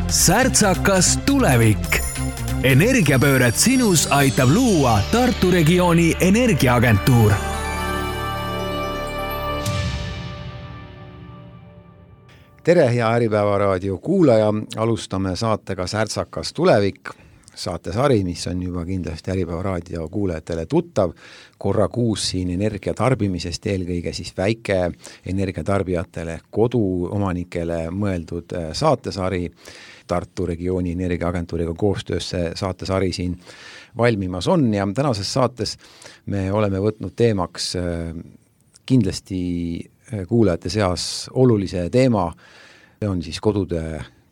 Särtsakas tulevik. Energiapööret sinus aitab luua Tartu regiooni energiaagentuur. Tere, hea Äripäeva raadio kuulaja. Alustame saatega Särtsakas tulevik. Saatesari, mis on juba kindlasti Äripäeva raadio kuulajatele tuttav. Korra kuus siin energiatarbimisest, eelkõige siis väike energiatarbijatele, koduomanikele mõeldud saatesari. Tartu regiooni energiaagentuuriga koostöös see saatesari siin valmimas on ja tänases saates me oleme võtnud teemaks kindlasti kuulajate seas olulise teema. See on siis kodude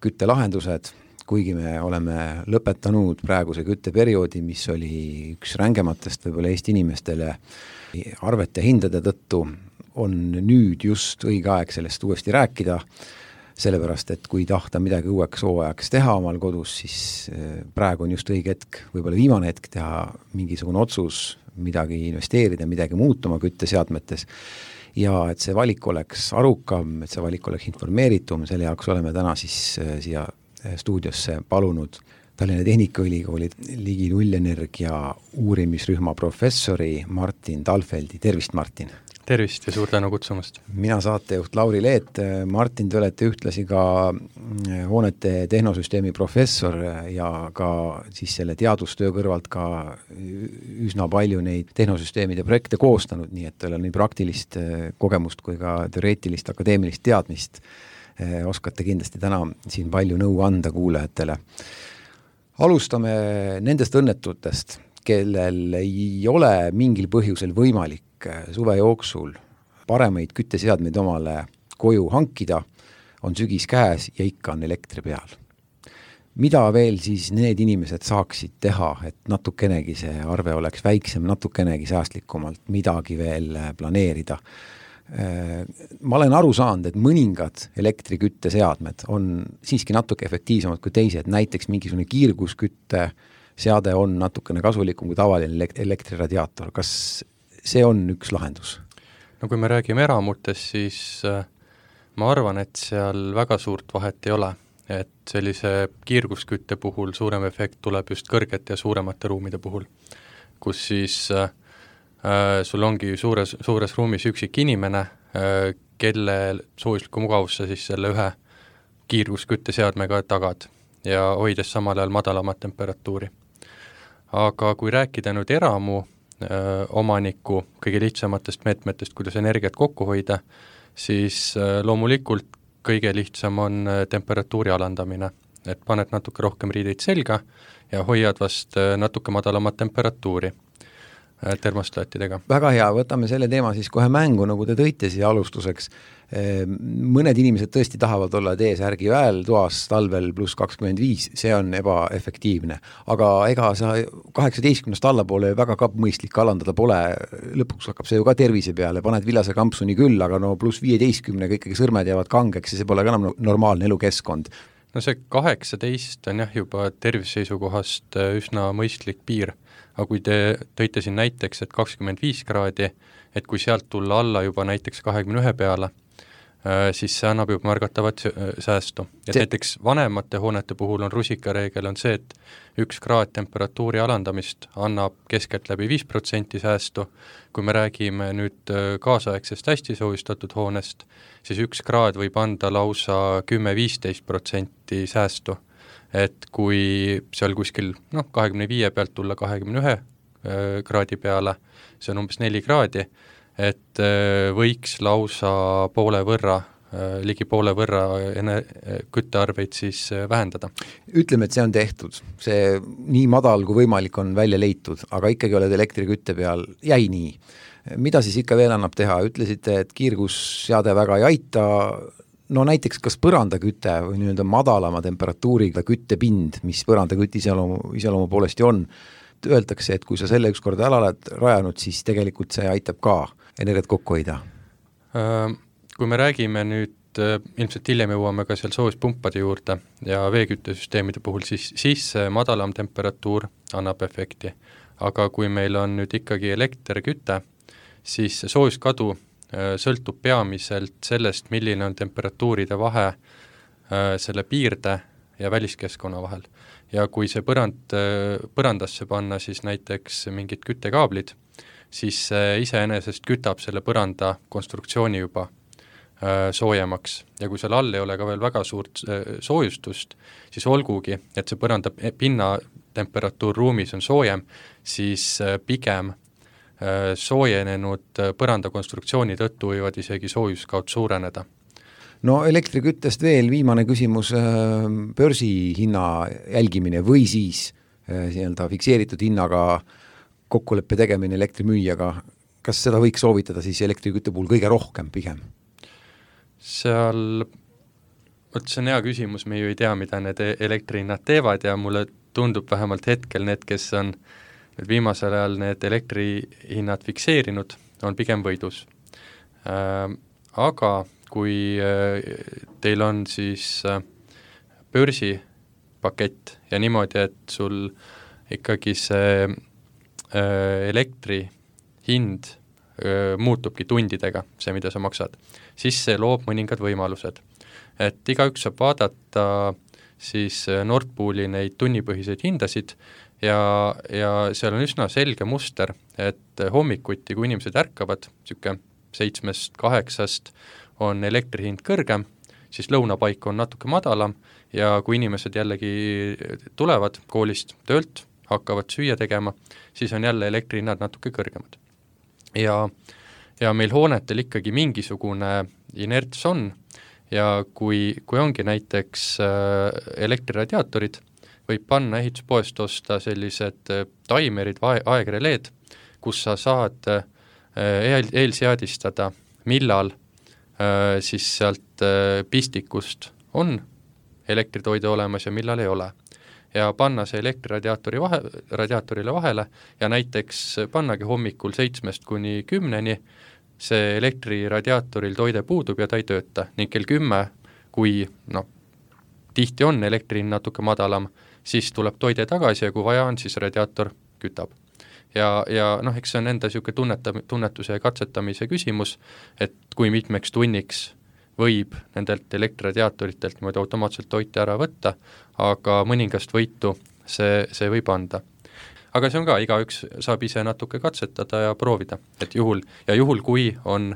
küttelahendused, kuigi me oleme lõpetanud praeguse kütteperioodi, mis oli üks rängematest võib-olla Eesti inimestele arvete hindade tõttu, on nüüd just õige aeg sellest uuesti rääkida, sellepärast, et kui tahta midagi uueks hooajaks teha omal kodus, siis praegu on just õige hetk, võib-olla viimane hetk teha mingisugune otsus, midagi investeerida, midagi muutuma kütteseadmetes. Ja et see valik oleks arukam, et see valik oleks informeeritum, selle jaoks oleme täna siis siia stuudiosse palunud Tallinna Tehnikaülikooli ligi nullenergia uurimisrühma professori Martin Talfeldi. Tervist, Martin! Tervist ja suur tänu kutsumast! Mina saatejuht Lauri Leet. Martin, te olete ühtlasi ka hoonete tehnosüsteemi professor ja ka siis selle teadustöö kõrvalt ka üsna palju neid tehnosüsteemide projekte koostanud, nii et teil on nii praktilist kogemust kui ka teoreetilist akadeemilist teadmist. Oskate kindlasti täna siin palju nõu anda kuulajatele. Alustame nendest õnnetutest, kellel ei ole mingil põhjusel võimalik suve jooksul paremaid kütteseadmeid omale koju hankida, on sügis käes ja ikka on elektri peal. Mida veel siis need inimesed saaksid teha, et natukenegi see arve oleks väiksem, natukenegi säästlikumalt midagi veel planeerida? Ma olen aru saanud, et mõningad elektrikütteseadmed on siiski natuke efektiivsemad kui teised, näiteks mingisugune kiirguskütte seade on natukene kasulikum kui tavaline elektriradiaator. Kas see on üks lahendus? No kui me räägime eramutest, siis ma arvan, et seal väga suurt vahet ei ole, et sellise kiirguskütte puhul suurem efekt tuleb just kõrgete ja suuremate ruumide puhul, kus siis sul ongi suures ruumis üksik inimene, kelle soojusliku mugavusse siis selle ühe kiirguskütteseadmega tagad ja hoides samal ajal madalamat temperatuuri. Aga kui rääkida nüüd eramu omaniku kõige lihtsamatest meetmetest, kuidas energiat kokku hoida, siis loomulikult kõige lihtsam on temperatuuri alandamine, et paned natuke rohkem riideid selga ja hoiad vast natuke madalamat temperatuuri termostaatidega. Väga hea, võtame selle teema siis kohe mängu, nagu te tõite siia alustuseks. Mõned inimesed tõesti tahavad olla T-särgi väel toas talvel pluss 25, see on ebaefektiivne. Aga ega sa 18 allapoole väga ka mõistlik alandada pole, lõpuks hakkab see ju ka tervise peale, paned vilase kampsuni küll, aga no pluss 15 ikkagi sõrmed jäävad kangeks ja see pole ka enam normaalne elukeskkond. No see 18 on jah juba tervise seisukohast üsna mõistlik piir, aga kui te tõite siin näiteks, et 25 kraadi, et kui sealt tulla alla juba näiteks 21 peale, siis see annab juba märgatavat säästu. Et näiteks vanemate hoonete puhul on rusikareegel on see, et 1 kraad temperatuuri alandamist annab keskelt läbi 5% säästu. Kui me räägime nüüd kaasaegsest hästi soojustatud hoonest, siis 1 kraad võib anda lausa 10-15% säästu. Et kui seal kuskil 25 pealt tulla 21 kraadi peale, see on umbes 4 kraadi, et võiks lausa ligi poole võrra küttearveid siis vähendada. Ütleme, et see on tehtud. See nii madal kui võimalik on välja leitud, aga ikkagi oled elektrikütte peal, jäi nii. Mida siis ikka veel annab teha? Ütlesite, et kiirgusseade väga ei aita. No näiteks kas põrandaküte või nii-öelda madalama temperatuuriga küttepind, mis põrandakütte iseloomu poolesti on, öeldakse, et kui sa selle ükskord ära oled rajanud, siis tegelikult see aitab ka energiat kokku hoida. Kui me räägime nüüd, ilmselt hiljem jõuame ka seal soojuspumpade juurde ja veeküttesüsteemide puhul, siis madalam temperatuur annab efekti. Aga kui meil on nüüd ikkagi elektriküte, siis soojuskadu sõltub peamiselt sellest, milline on temperatuuride vahe selle piirde ja väliskeskkonna vahel. Ja kui see põrandasse panna siis näiteks mingid küttekaablid, siis see iseenesest kütab selle põranda konstruktsiooni juba soojemaks ja kui seal all ei ole ka veel väga suurt soojustust, siis olgugi, et see põranda pinnatemperatuur ruumis on soojem, siis pigem soojenenud põranda konstruktsiooni tõttu võivad isegi soojuskaud suureneda. No elektriküttest veel viimane küsimus, börsihinna jälgimine või siis fikseeritud hinnaga kokkuleppe tegemine elektrimüüjaga, kas seda võiks soovitada siis elektrikütte puhul kõige rohkem pigem? Seal, see on hea küsimus, me ju ei tea, mida need elektrihinnad teevad ja mulle tundub vähemalt hetkel need, kes on viimasel ajal need elektrihinnad fikseerinud, on pigem võidus. Aga kui teil on siis börsipakett ja niimoodi, et sul ikkagi see elektri hind muutubki tundidega, see, mida sa maksad, siis see loob mõningad võimalused. Et igaüks saab vaadata siis Nord Pooli neid tunnipõhiseid hindasid ja seal on üsna selge muster, et hommikuti, kui inimesed ärkavad, 7-8 on elektri hind kõrgem, siis lõunapaik on natuke madalam ja kui inimesed jällegi tulevad koolist töölt, hakkavad süüa tegema, siis on jälle elektri hinnad natuke kõrgemad. Ja meil hoonetel ikkagi mingisugune inerts on ja kui ongi näiteks elektriradiaatorid, võib panna ehituspoest osta sellised taimerid või aegreleed, kus sa saad eelseadistada, millal siis sealt pistikust on elektritoide olemas ja millal ei ole. Ja panna see elektriradiaatorile vahele ja näiteks pannagi hommikul 7-10 see elektriradiaatoril toide puudub ja ta ei tööta ning kell 10, kui tihti on elektrin natuke madalam, siis tuleb toide tagasi ja kui vaja on, siis radiaator kütab. Ja eks see on enda tunnetuse ja katsetamise küsimus, et kui mitmeks tunniks võib nendelt elektriradiaatoritelt niimoodi automaatselt toite ära võtta, aga mõningast võitu see võib anda. Aga see on ka, igaüks saab ise natuke katsetada ja proovida, et juhul kui on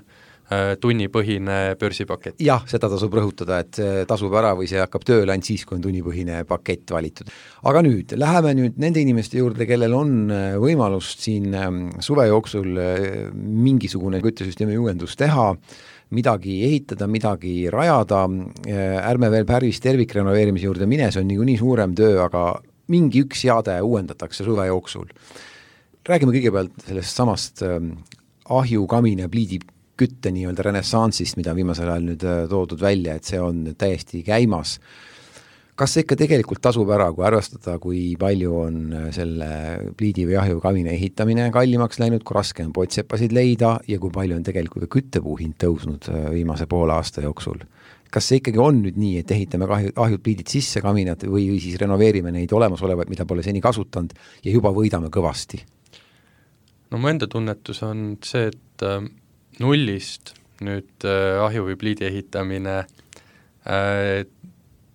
tunnipõhine börsipakett. Jah, seda tasub rõhutada, et see tasub ära või see hakkab tööle ainult siis, kui on tunnipõhine pakett valitud. Aga läheme nende inimeste juurde, kellel on võimalust siin suve jooksul mingisugune küttesüsteemi uuendus teha, midagi ehitada, midagi rajada, ärme veel päris tervikrenoveerimise juurde mine, see on nii suurem töö, aga mingi üks seade uuendatakse suve jooksul. Räägime kõigepealt sellest samast ahju, kamine, pliidi kütte nii-öelda renessanssist, mida viimasel ajal nüüd toodud välja, et see on täiesti käimas. Kas see ikka tegelikult tasub ära, kui arvestada, kui palju on selle pliidi või ahju kamine ehitamine kallimaks läinud, kui raske on potsepasid leida ja kui palju on tegelikult ka küttepuu hind tõusnud viimase poole aasta jooksul? Kas see ikkagi on nüüd nii, et ehitame ahjud pliidid sisse kaminad või siis renoveerime neid olemasolevaid, mida pole seni kasutanud ja juba võidame kõvasti? No mu enda tunnetus on see, et nullist nüüd ahju või pliidi ehitamine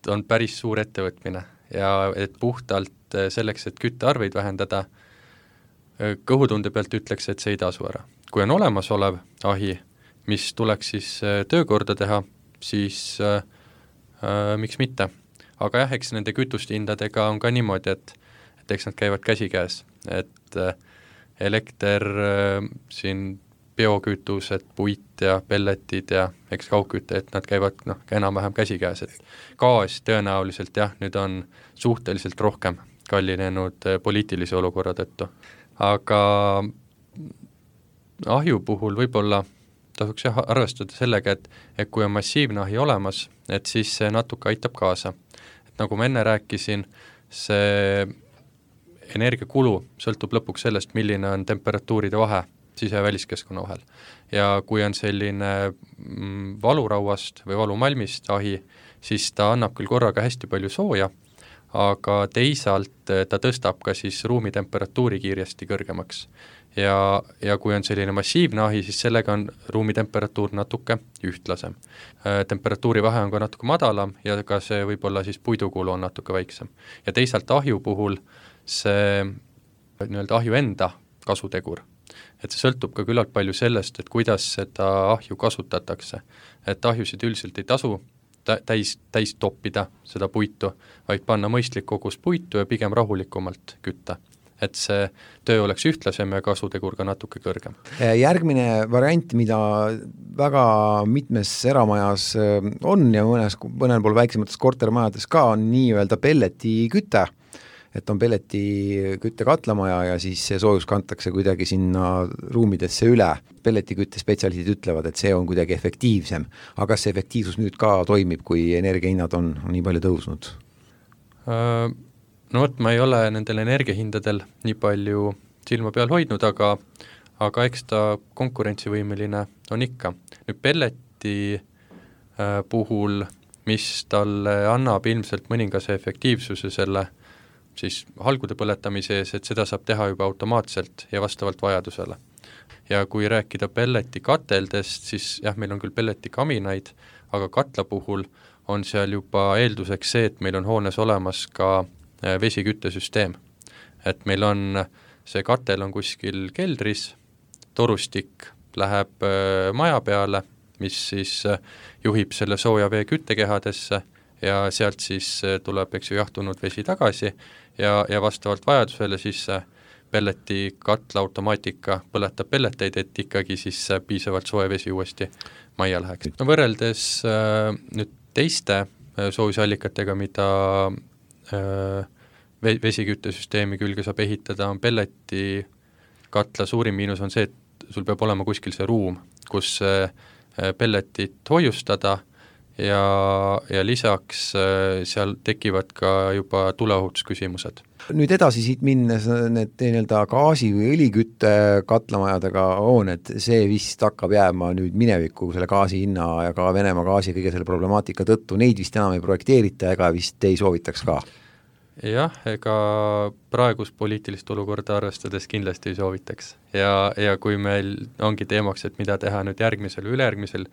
on päris suur ettevõtmine ja et puhtalt selleks, et küttearveid vähendada, kõhutunde pealt ütleks, et see ei tasu ära. Kui on olemasolev ahi, mis tuleks siis töökorda teha, siis miks mitte. Aga jah, eks nende kütuste hindadega on ka niimoodi, et eks nad käivad käsikäes, et elekter siin biokütused, puit ja pelletid ja eks kaugküte, et nad käivad enam-vähem käsikäes, et gaas tõenäoliselt jah, nüüd on suhteliselt rohkem kallinenud poliitilise olukorra tõttu. Aga ahju puhul võib-olla tasuks arvestada sellega, et kui on massiivne ahi olemas, et siis see natuke aitab kaasa. Et nagu ma enne rääkisin, see energiakulu sõltub lõpuks sellest, milline on temperatuuride vahe sise- ja väliskeskkonna vahel. Ja kui on selline valurauast või valumalmist ahi, siis ta annab küll korraga hästi palju sooja, aga teisalt ta tõstab ka siis ruumitemperatuuri kiiresti kõrgemaks. Ja kui on selline massiivne ahi, siis sellega on ruumitemperatuur natuke ühtlasem. Temperatuuri vahe on ka natuke madalam ja ka see võib-olla siis puidukulu on natuke väiksem. Ja teisalt ahju puhul see nii-öelda ahju enda kasutegur, et see sõltub ka küllalt palju sellest, et kuidas seda ahju kasutatakse. Et ahjusid üldiselt ei tasu täis toppida seda puitu, vaid panna mõistlik kogus puitu ja pigem rahulikumalt kütta. Et see töö oleks ühtlasem ja kasutegur ka natuke kõrgem. Järgmine variant, mida väga mitmes eramajas on ja mõnel pool väiksemates kortermajades ka, on nii-öelda pelleti küte. Et on pelleti kütte katlamaja ja siis see soojus kantakse kuidagi sinna ruumidesse üle. Pelleti kütte spetsialistid ütlevad, et see on kuidagi efektiivsem. Aga kas see efektiivsus nüüd ka toimib, kui energiahinnad on nii palju tõusnud? No ma ei ole nendel energiahindadel nii palju silma peal hoidnud, aga eks ta konkurentsivõimeline on ikka. Nüüd pelleti puhul, mis talle annab ilmselt mõningase efektiivsuse selle siis halgude põletamise ees, et seda saab teha juba automaatselt ja vastavalt vajadusele. Ja kui rääkida pelleti kateldest, siis jah, meil on küll pelleti kaminaid, aga katla puhul on seal juba eelduseks see, et meil on hoones olemas ka vesiküttesüsteem. Et meil on, see katel on kuskil keldris, torustik läheb maja peale, mis siis juhib selle sooja vee küttekehadesse ja sealt siis tuleb jahtunud vesi tagasi ja vastavalt vajadusele siis pelleti katla automaatika põletab pelleteid, et ikkagi siis piisavalt soe vesi uuesti majja läheks. No võrreldes nüüd teiste soojusallikatega, mida vesiküttesüsteemi külge saab ehitada, on pelleti katla suurim miinus on see, et sul peab olema kuskil see ruum, kus pelletit hoiustada ja lisaks seal tekivad ka juba tuleohutusküsimused. Nüüd edasi siit minnes need nii-öelda gaasi- või õlikütte katlamajadega hooned, see vist hakkab jääma nüüd minevikku selle gaasi hinna ja ka Venemaa gaasi kõige selle problemaatika tõttu, neid vist enam ei projekteerita ega vist ei soovitaks ka? Jah, ega praegust poliitilist olukorda arvestades kindlasti ei soovitaks. Ja kui meil ongi teemaks, et mida teha nüüd järgmisel või ülejärgmisel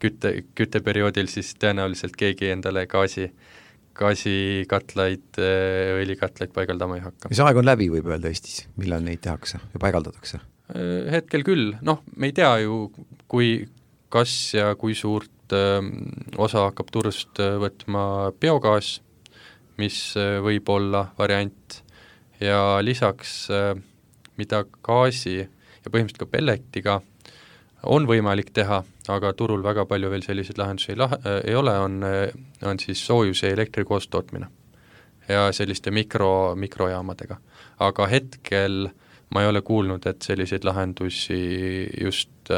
kütteperioodil, siis tõenäoliselt keegi endale gaasikatlaid, õlikatlaid paigaldama ei hakka. Mis aeg on läbi, võib öelda Eestis, millal neid tehakse ja paigaldatakse? Hetkel küll, me ei tea ju, kas ja kui suurt osa hakkab turust võtma biogaas, mis võib olla variant ja lisaks mida gaasi ja põhimõtteliselt ka pelletiga on võimalik teha, aga turul väga palju veel selliseid lahendusi ei ole, on siis soojuse ja elektri koostootmine ja selliste mikrojaamadega. Aga hetkel ma ei ole kuulnud, et selliseid lahendusi just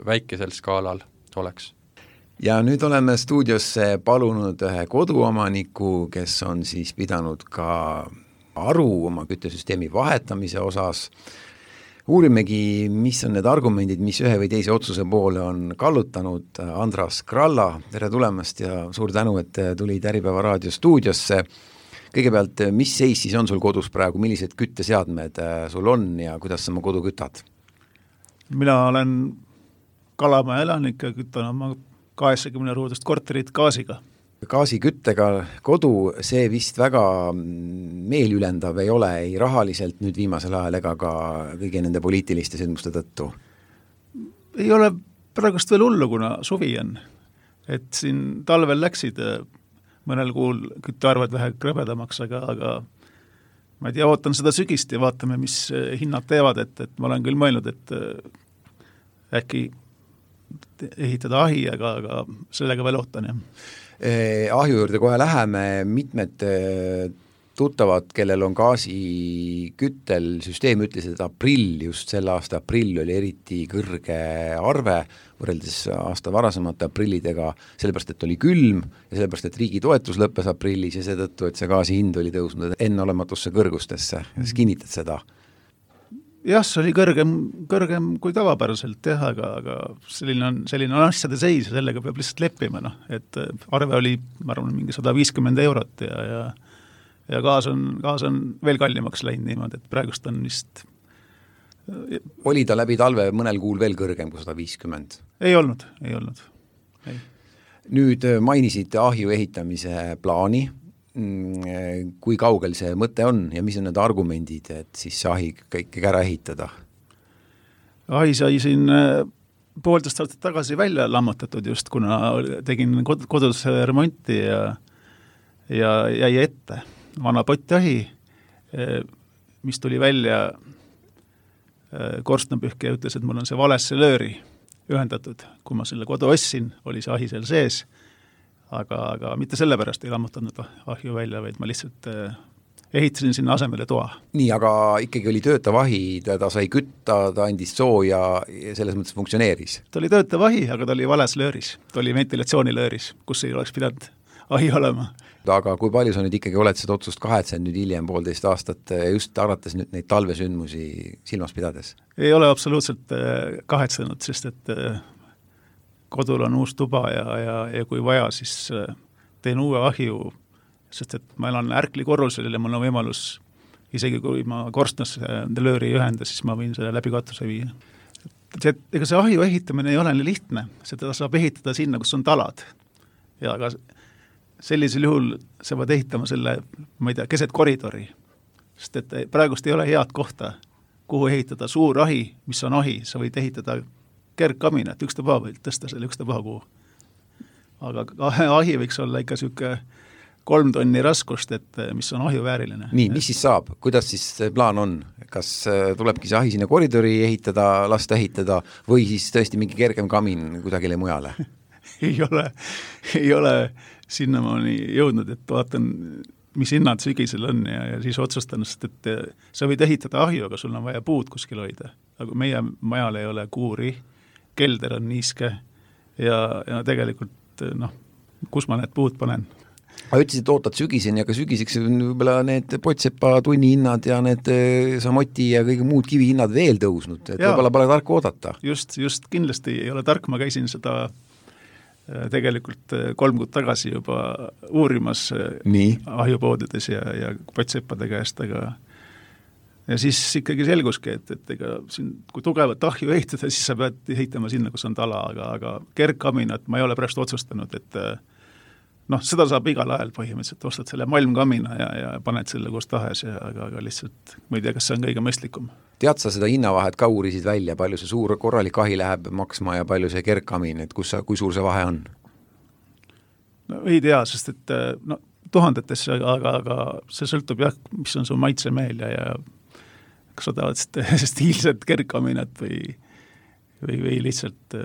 väikesel skaalal oleks. Ja nüüd oleme stuudiosse palunud ühe koduomaniku, kes on siis pidanud ka aru oma küttesüsteemi vahetamise osas. Uurimegi, mis on need argumendid, mis ühe või teise otsuse poole on kallutanud. Andras Kralla, tere tulemast ja suur tänu, et tulid Äripäeva raadio stuudiosse. Kõigepealt, mis seis siis on sul kodus praegu, millised kütteseadmed sul on ja kuidas sa oma kodu kütad? Mina olen Kalamaja elanik ja kütan oma 80-ruudust korterit gaasiga. Gaasiküttega kodu, see vist väga meelülendav ei ole, ei rahaliselt nüüd viimasel ajal ega ka kõigi nende poliitiliste sündmuste tõttu? Ei ole praegust veel hullu, kuna suvi on. Et siin talvel läksid mõnel kuul küttearved vähe krõbedamaks, aga ma ei tea, ootan seda sügist ja vaatame, mis hinnad teevad, et ma olen küll mõelnud, et äkki ehitada ahi, aga sellega veel ootan, jah. Ahju juurde kohe läheme, mitmed tuttavad, kellel on gaasiküttel süsteem, ütles, et just selle aasta aprill oli eriti kõrge arve võrreldes aasta varasemate aprillidega, sellepärast, et oli külm ja sellepärast, et riigi toetus lõppes aprillis ja seetõttu, et see gaasi hind oli tõusnud enneolematusse kõrgustesse. Kas kinnitad seda? Jah, see oli kõrgem kui tavapäraselt, jah, aga selline on asjade seis ja sellega peab lihtsalt leppima, et arve oli, ma arvan, mingi 150 € ja ja gaas on veel kallimaks läinud niimoodi, et praegust on vist... Oli ta läbi talve mõnel kuul veel kõrgem kui 150? Ei olnud. Ei. Nüüd mainisid ahju ehitamise plaani, kui kaugel see mõte on ja mis on need argumendid, et siis see ahi kõik ära ehitada? Ahi sai siin 1,5 aastat tagasi välja lammutatud just, kuna tegin kodus remonti ja jäi ette vana pottahi, mis tuli välja korstnapühkija ütles, et mul on see valesse lööri ühendatud. Kui ma selle kodu ostsin, oli see ahi seal sees, aga mitte sellepärast ei lammutanud ahju välja, vaid ma lihtsalt ehitasin sinna asemele toa. Nii, aga ikkagi oli töötav ahi, ta sai kütta, ta andis sooja ja selles mõttes funktsioneeris? Ta oli töötav ahi, aga ta oli vales lööris. Ta oli ventilatsioonilööris, kus ei oleks pidanud ahi olema. Aga kui palju sa nüüd ikkagi oled seda otsust kahetsed nüüd hiljem 1,5 aastat just arvates nüüd neid talvesündmusi silmas pidades? Ei ole absoluutselt kahetsenud, sest et kodul on uus tuba ja kui vaja, siis teen uue ahju, sest et ma elan ärkli korrusel ja mul on võimalus, isegi kui ma korstnas lööri ei ühenda, siis ma võin selle läbi katuse viia. Ega see ahju ehitamine ei ole nii lihtne, seda saab ehitada sinna, kus on talad. Ja aga sellisel juhul sa võid ehitama selle, ma ei tea, keset koridori, sest et praegust ei ole head kohta, kuhu ehitada suur ahi, mis on ahi, sa võid ehitada kergkaminat, ükstapuha võid tõsta selle ükstapuha kuhu. Aga ahi võiks olla ikka selline 3 tonni raskust, et mis on ahju vääriline. Nii, mis siis saab? Kuidas siis plaan on? Kas tulebki see ahi sinna koridori ehitada, lasta ehitada või siis tõesti mingi kergem kamin kuidagile mujale? ei ole sinnamaani jõudnud, et vaatan, mis hinnad sügisel on ja siis otsustan, sest et sa võid ehitada ahju, aga sul on vaja puud kuskil hoida. Aga meie majal ei ole kuuri, kelder on niiske ja tegelikult, kus ma need puud panen? Aga ütlesid, ootad sügiseni, aga sügiseks võib-olla need Potsepa tunnihinnad ja need samoti ja kõige muud kivihinnad veel tõusnud, et võib-olla pole tark oodata. Just kindlasti ei ole tark, ma käisin seda tegelikult 3 kuud tagasi juba uurimas ahjupoodides ja Potsepade käest, aga ja siis ikkagi selguski, et ega siin, kui tugevat ahju ehitada, siis sa pead ehitama sinna, kus on tala, aga kergkaminat ma ei ole pärast otsustanud, et seda saab igal ajal põhimõtteliselt, ostad selle malmkamina ja paned selle kus tahes, aga lihtsalt ma ei tea, kas see on kõige mõistlikum. Tead sa seda hinnavahet ka uurisid välja, palju see suur korralik ahi läheb maksma ja palju see kergkamin, et kui suur see vahe on? No ei tea, sest et tuhandetesse, aga see sõltub jah, mis on su maitsemeel ja kas sa tahad stiilset kergkaminat või lihtsalt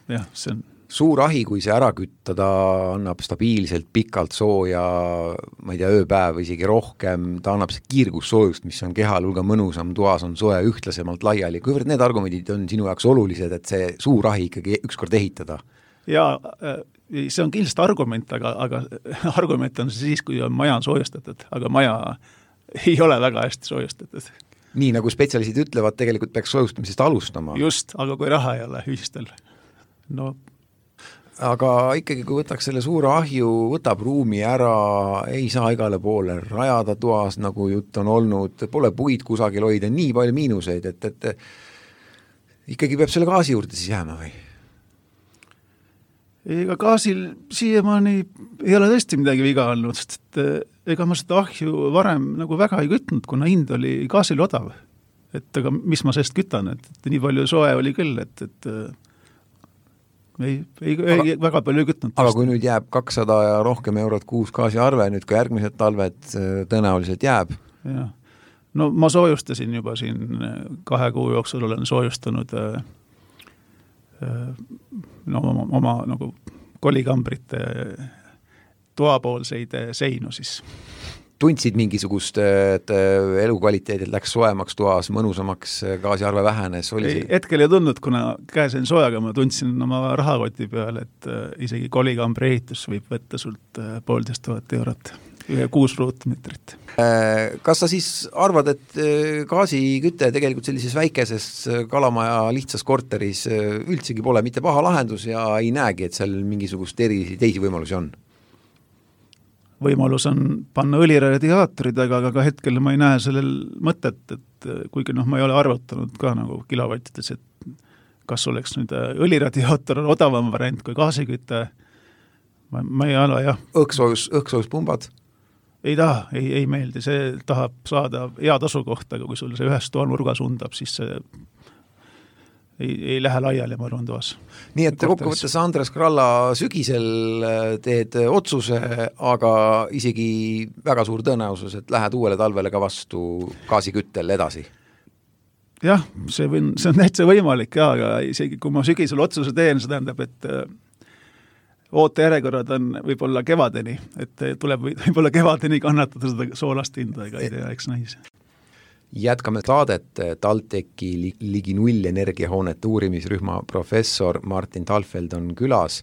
jah, see on suur ahi, kui see ära kütta, ta annab stabiilselt pikalt sooja, ma ei tea, ööpäev isegi rohkem, ta annab see kiirgussoojust, mis on kehal hulga mõnusam, toas on soe ühtlasemalt laiali. Kuivõrd need argumendid on sinu jaoks olulised, et see suur ahi ikkagi ükskord ehitada? Jaa, see on kindlasti argument, aga argument on siis, kui on maja soojustatud, aga maja ei ole väga hästi soojustatud. Nii nagu spetsialistid ütlevad, tegelikult peaks soojustamisest alustama. Just, aga kui raha ei ole ühistel, aga ikkagi, kui võtaks selle suure ahju, võtab ruumi ära, ei saa igale poole rajada toas, nagu jutt on olnud, pole puid kusagil hoida, nii palju miinuseid, et ikkagi peab selle gaasi juurde siis jääma või? Ega gaasil siiamaani ei ole tõesti midagi viga olnud, sest ega ma seda ahju varem nagu väga ei kütnud, kuna hind oli gaasil odav. Et aga mis ma sellest kütan, et nii palju soe oli küll, et ei väga palju kütnud. Aga kui nüüd jääb 200 ja rohkem eurot kuus gaasiarve, nüüd ka järgmised talved tõenäoliselt jääb? Ja. No ma soojustasin juba siin 2 kuu jooksul, olen soojustanud oma nagu kolikambrite toapoolseid seinu siis. Tundsid mingisugust, et elukvaliteedil läks soemaks toas, mõnusamaks, gaasiarve vähenes? Hetkel ei tundnud, kuna käesin soojaga, ma tundsin oma rahakoti peal, et isegi kolikambri ehitus võib võtta sult 1500 eurot, 6 ruutmeetrit. Kas sa siis arvad, et gaasiküte tegelikult sellises väikeses kalamaja lihtsas korteris üldsegi pole mitte paha lahendus ja ei näegi, et seal mingisugust teisi võimalusi on? võimalus on panna õliradiaatorid, aga ka hetkel ma ei näe sellel mõtet, et kuigi ma ei ole arvutanud ka nagu kilovattides, et kas oleks nüüd õliradiaator odavam variant kui gaasiküte, ma ei ole, jah. Õhksoojuspunbad? Ei taha, ei meeldi, see tahab saada hea tasukohta, aga kui sul see ühes toanurgas undab, siis see ei lähe laiali, ma arvan, toas. Nii et kokkuvõttes Andres Kralla sügisel teed otsuse, aga isegi väga suur tõenäosus, et lähed uuele talvele ka vastu gaasiküttel edasi. Jah, see on täitsa võimalik, aga isegi kui ma sügisel otsuse teen, see tähendab, et ootejärjekorrad on võib-olla kevadeni, et tuleb võib-olla kevadeni kannatada seda soolast hinda, ega ei tea, eks näis. Jätkame saadet. TalTechi ligi null energiahoonete uurimisrühma professor Martin Talfeld on külas.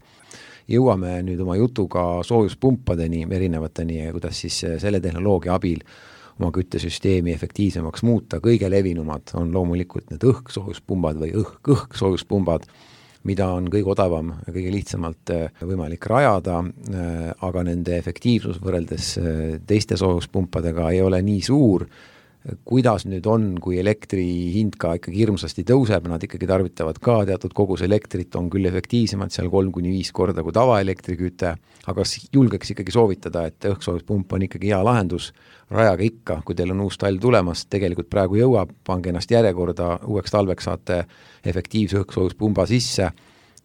Jõuame nüüd oma jutuga soojuspumpadeni, erinevateni, kuidas siis selle tehnoloogia abil oma küttesüsteemi efektiivsemaks muuta. Kõige levinumad on loomulikult need õhksoojuspunbad või õhksoojuspunbad, mida on kõige odavam ja kõige lihtsamalt võimalik rajada, aga nende efektiivsus võrreldes teiste soojuspumpadega ei ole nii suur. Kuidas nüüd on, kui elektri hind ka ikkagi hirmsasti tõuseb, nad ikkagi tarvitavad ka teatud kogus elektrit, on küll efektiivsemad seal 3-5 korda kui tavaelektriküte, aga julgeks ikkagi soovitada, et õhksoojuspump on ikkagi hea lahendus, rajage ikka, kui teil on uus talv tulemas, tegelikult praegu jõuab, pange ennast järjekorda, uueks talveks saate efektiivse õhksoojuspumba sisse,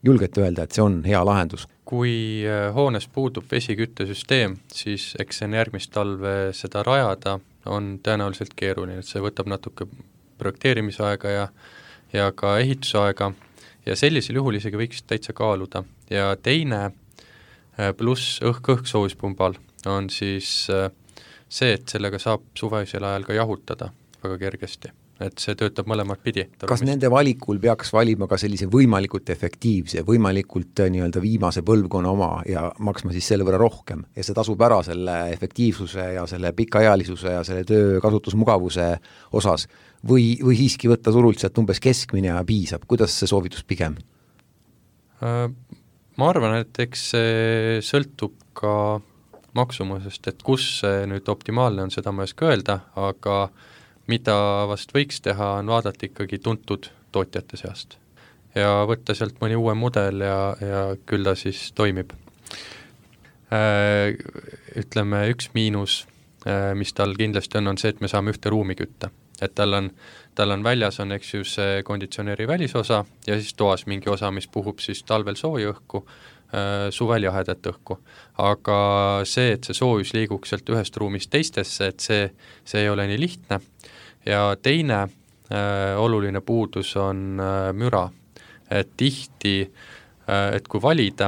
julgete öelda, et see on hea lahendus. Kui hoones puudub vesiküttesüsteem, siis eks see järgmist talve seda rajada on tõenäoliselt keeruline, et see võtab natuke projekteerimisaega ja ka ehitusaega ja sellisel juhul isegi võiks täitsa kaaluda. Ja teine pluss õhksoojuspunbal on siis see, et sellega saab suvesel ajal ka jahutada väga kergesti. Et see töötab mõlemad pidi. Kas nende valikul peaks valima ka sellise võimalikult efektiivse, võimalikult nii-öelda viimase põlvkonna oma ja maksma siis selle võrra rohkem ja see tasub ära selle efektiivsuse ja selle pikaealisuse ja selle töö kasutusmugavuse osas või siiski võtta turult sealt umbes keskmine ja piisab? Kuidas see soovitus pigem? Ma arvan, et eks see sõltub ka maksumusest, et kus see nüüd optimaalne on, seda ma ei oska öelda, aga mida vast võiks teha, on vaadata ikkagi tuntud tootjate seast ja võtta sealt mõni uue mudel ja küll ta siis toimib. Ütleme, üks miinus, mis tal kindlasti on see, et me saame ühte ruumi kütta. Et tal on väljas on, eks ju, see konditsioneeri välisosa ja siis toas mingi osa, mis puhub siis talvel sooja õhku, suvel jahedat õhku. Aga see, et see soojus liiguks sealt ühest ruumist teistesse, et see ei ole nii lihtne. Ja teine oluline puudus on müra. Et tihti, et kui valida,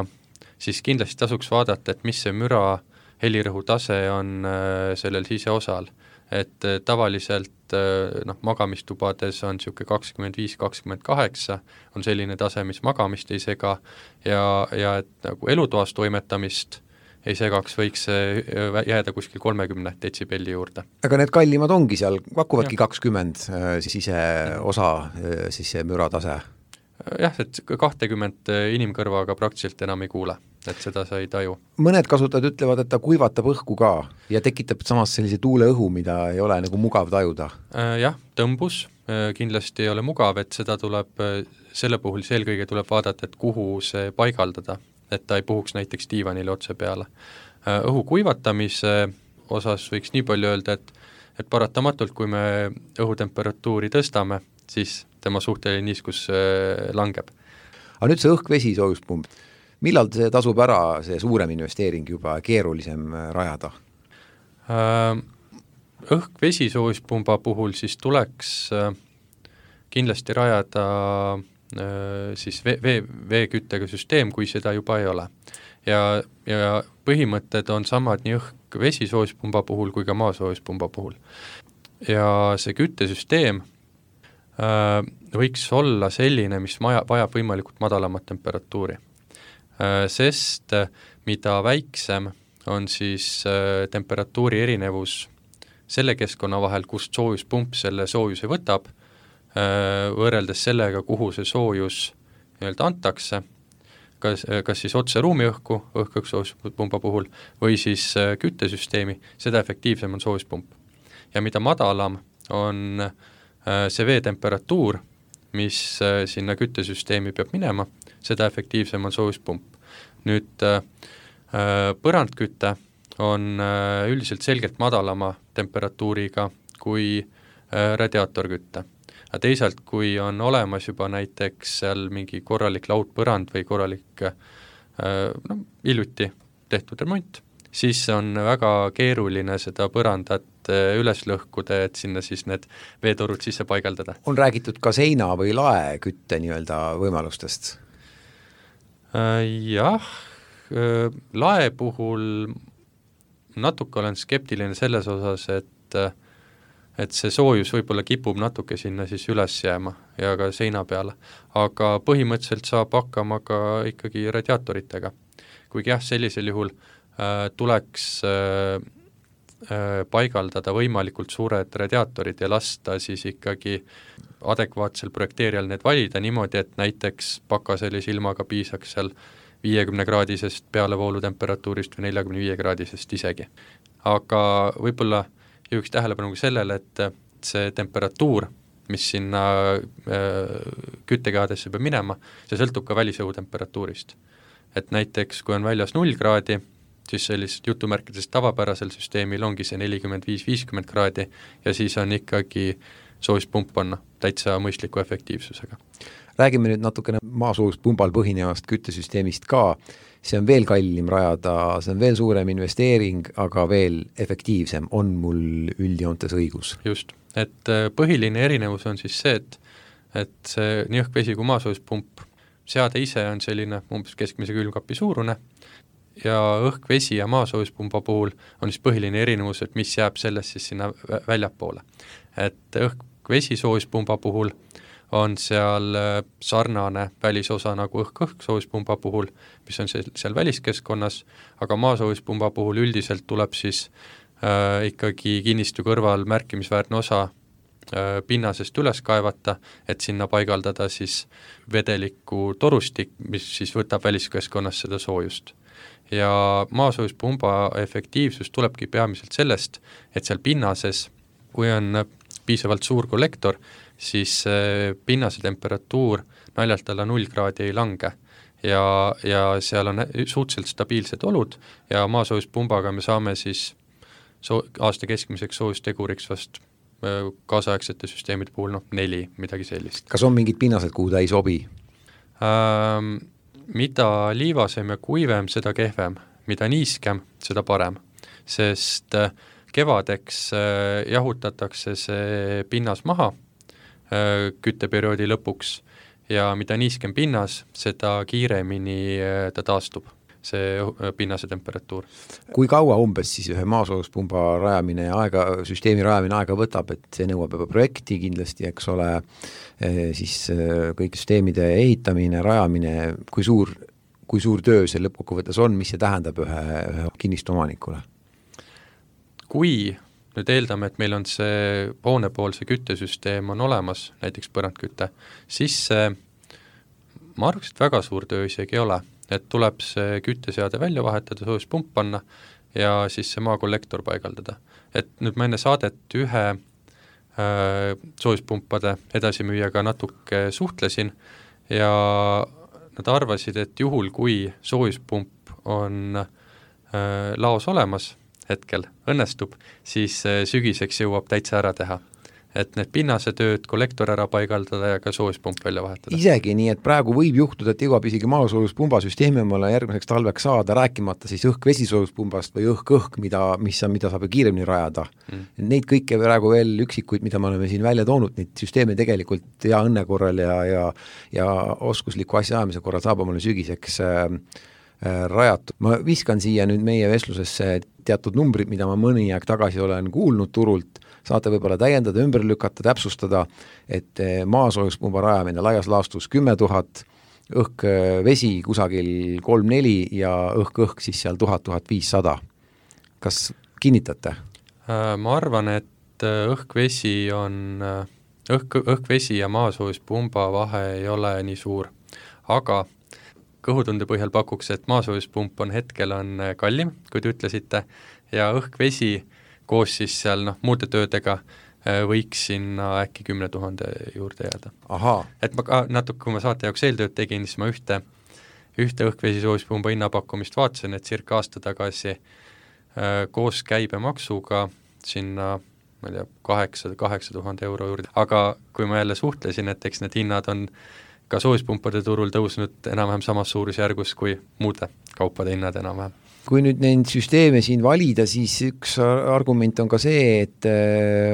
siis kindlasti tasuks vaadata, et mis see müra helirõhu tase on sellel siseosal. Et tavaliselt magamistubades on siuke 25-28, on selline tase, mis magamist ei sega ja et nagu elutoas toimetamist ei segaks, võiks jääda kuskil 30 detsibelli juurde. Aga need kallimad ongi seal, pakuvadki 20 siseosa siis see müratase? Jah, et 20 inimkõrvaga praktiliselt enam ei kuule, et seda sa ei taju. Mõned kasutajad ütlevad, et ta kuivatab õhku ka ja tekitab samas sellise tuuleõhu, mida ei ole nagu mugav tajuda. Jah, tõmbus kindlasti ei ole mugav, et seda tuleb, selle puhul eelkõige tuleb vaadata, et kuhu see paigaldada, et ta ei puhuks näiteks diivanile otse peale. Õhu kuivatamise osas võiks nii palju öelda, et paratamatult, kui me õhutemperatuuri tõstame, siis tema suhteline niiskus langeb. Aga nüüd see õhk-vesi soojuspump, millal see tasub ära, see suurem investeering juba keerulisem rajada? Õhk-vesi soojuspumba puhul siis tuleks kindlasti rajada siis veeküttega süsteem, kui seda juba ei ole. Ja põhimõtted on samad nii õhk-vesi soojuspumba puhul kui ka maasoojuspumba puhul. Ja see küttesüsteem võiks olla selline, mis vajab võimalikult madalamat temperatuuri. Sest mida väiksem on siis temperatuuri erinevus selle keskkonna vahel, kust soojuspump selle soojuse võtab, võrreldes sellega, kuhu see soojus nii-öelda antakse, kas siis otse ruumiõhku, õhk-õhk-soojuspumba puhul, või siis küttesüsteemi, seda efektiivsem on soojuspump. Ja mida madalam on see veetemperatuur, mis sinna küttesüsteemi peab minema, seda efektiivsem on soojuspump. Nüüd põrandküte on üldiselt selgelt madalama temperatuuriga kui radiaatorkütte. Aga teisalt, kui on olemas juba näiteks seal mingi korralik laudpõrand või korralik hiljuti tehtud remont, siis on väga keeruline seda põrandat üles lõhkuda, et sinna siis need veetorud sisse paigaldada. On räägitud ka seina või lae kütte nii-öelda võimalustest? Jah, lae puhul natuke olen skeptiline selles osas, et see soojus võib-olla kipub natuke sinna siis üles jääma ja ka seina peale, aga põhimõtteliselt saab hakkama ka ikkagi radiaatoritega. Kuigi jah, sellisel juhul tuleks paigaldada võimalikult suured radiaatorid ja lasta siis ikkagi adekvaatsel projekteerijal need valida niimoodi, et näiteks pakkaselise ilmaga piisaks seal 50-kraadisest pealevoolu temperatuurist või 45-kraadisest isegi. Aga võib-olla juhiks tähelepanu sellele, et see temperatuur, mis sinna küttekehadesse peab minema, see sõltub ka välisõhu temperatuurist. Et näiteks, kui on väljas 0 kraadi, siis sellist jutumärkides tavapärasel süsteemil ongi see 45-50 kraadi ja siis on ikkagi soojuspump on täitsa mõistliku efektiivsusega. Räägime nüüd natukene maasoojuspunbal põhinevast küttesüsteemist ka. See on veel kallim rajada, see on veel suurem investeering, aga veel efektiivsem. On mul üldjoontes õigus? Just, et põhiline erinevus on siis see, et see nii õhk-vesi kui maasoojuspump seade ise on selline umbes keskmise külmkapi suurune ja õhk-vesi ja maasoojuspumba puhul on siis põhiline erinevus, et mis jääb sellest siis sinna väljapoole. Et õhk-vesi soojuspumba puhul on seal sarnane välisosa nagu õhk-õhk soojuspumba puhul, mis on seal väliskeskkonnas, aga maasoojuspumba puhul üldiselt tuleb siis ikkagi kinnistu kõrval märkimisväärne osa pinnasest üles kaevata, et sinna paigaldada siis vedeliku torustik, mis siis võtab väliskeskkonnas seda soojust. Ja maasoojuspumba efektiivsus tulebki peamiselt sellest, et seal pinnases, kui on piisavalt suur kollektor, siis pinnase temperatuur naljalt alla 0 kraadi ei lange ja seal on suhteliselt stabiilsed olud ja maasoojuspumbaga me saame siis aasta keskmiseks soojusteguriks vast kaasaegsete süsteemide puhul 4, midagi sellist. Kas on mingid pinnased, kuhu ta ei sobi? Mida liivasem ja kuivem, seda kehvem, mida niiskem, seda parem, sest kevadeks jahutatakse see pinnas maha kütteperioodi lõpuks ja mida niiskem pinnas, seda kiiremini ta taastub, see pinnase temperatuur. Kui kaua umbes siis ühe maasoojuspumba rajamine ja süsteemi rajamine aega võtab, et see nõuab juba projekti kindlasti, eks ole, siis kõik süsteemide ehitamine, rajamine, kui suur töö see lõppkokkuvõttes on, mis see tähendab ühe kinnistuomanikule? Kui nüüd eeldame, et meil on see hoonepoolse küttesüsteem on olemas, näiteks põrandküte, siis ma arvaks, et väga suur töö isegi ei ole, et tuleb see kütteseade välja vahetada, soojuspump panna ja siis see maakollektor paigaldada. Et nüüd ma enne saadet ühe soojuspumpade edasimüüjaga natuke suhtlesin ja nad arvasid, et juhul, kui soojuspump on laos olemas, hetkel õnnestub, siis sügiseks jõuab täitsa ära teha. Et need pinnasetööd, kollektor ära paigaldada ja ka soojuspump välja vahetada. Isegi nii, et praegu võib juhtuda, et jõuab isegi maasoojuspumba süsteemi omale järgmiseks talveks saada, rääkimata siis õhk-vesisoojuspunbast või õhk-õhk, mida saab kiiremini rajada. Neid kõike praegu veel üksikuid, mida me oleme siin välja toonud, neid süsteeme tegelikult hea õnne korral ja oskusliku asja ajamise korral saab omale sügiseks rajatud. Ma viskan siia nüüd meie vestlusesse teatud numbrid, mida ma mõni aeg tagasi olen kuulnud turult, saate võib-olla täiendada, ümber lükata, täpsustada, et maasoojuspumba rajamine laias laastus 10 000, õhk-vesi kusagil 3-4 ja õhk-õhk siis seal 1000-1500. Kas kinnitate? Ma arvan, et õhk-vesi ja maasoojuspumba vahe ei ole nii suur, aga kõhutunde põhjal pakuks, et maasoojuspump on hetkel kallim, kui te ütlesite, ja õhk-vesi koos siis seal muude töödega võiks sinna äkki 10 000 juurde jääda. Et ma ka natuke, kui ma saate jaoks eeltööd tegin, siis ma ühte õhk-vesi soojuspumba hinnapakkumist vaatasin, et circa aasta tagasi koos käibemaksuga sinna, ma ei tea, 8,000 euro juurde, aga kui ma jälle suhtlesin, et eks need hinnad on ka soojuspumpade turul tõusnud enam-vähem samas suurusjärgus kui muude kaupade hinnad enam-vähem. Kui nüüd neid süsteeme siin valida, siis üks argument on ka see, et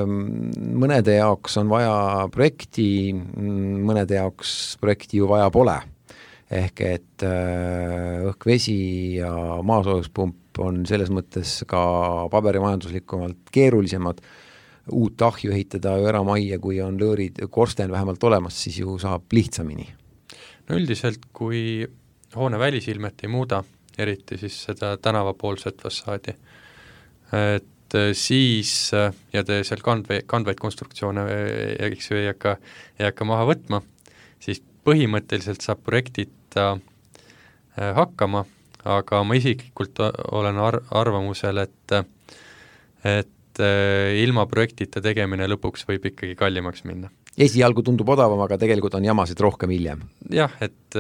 mõnede jaoks on vaja projekti, mõnede jaoks projekti ju vaja pole. Ehk et õhk-vesi ja maasoojuspump on selles mõttes ka paberimajanduslikumalt keerulisemad. Uut ahju ehitada eramajja, kui on lõõrid korsten vähemalt olemas, siis ju saab lihtsamini. No üldiselt, kui hoone välisilmet ei muuda, eriti siis seda tänavapoolset fassaadi, et siis, ja te seal kandvaid konstruktsioone ei hakka maha võtma, siis põhimõtteliselt saab projektita hakkama, aga ma isiklikult olen arvamusel, et ilma projektita tegemine lõpuks võib ikkagi kallimaks minna. Esialgu tundub odavam, aga tegelikult on jamasid rohkem hiljem. Jah, et